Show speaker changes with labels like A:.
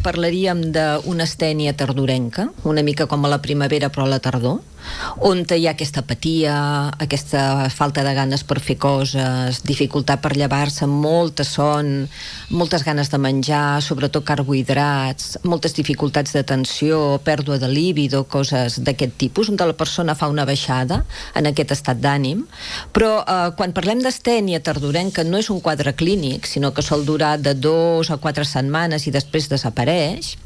A: Parlaríem d'una astènia tardorenca, una mica com a la primavera però a la tardor, on hi ha aquesta apatia, aquesta falta de ganes per fer coses, dificultat per llevar-se, molta son, moltes ganes de menjar, sobretot carbohidrats, moltes dificultats d'atenció, pèrdua de líbido, coses d'aquest tipus, on la persona fa una baixada en aquest estat d'ànim. Però quan parlem d'astènia tardorenca no és un quadre clínic, sinó que sol durar de 2 a 4 setmanes i després desapareix.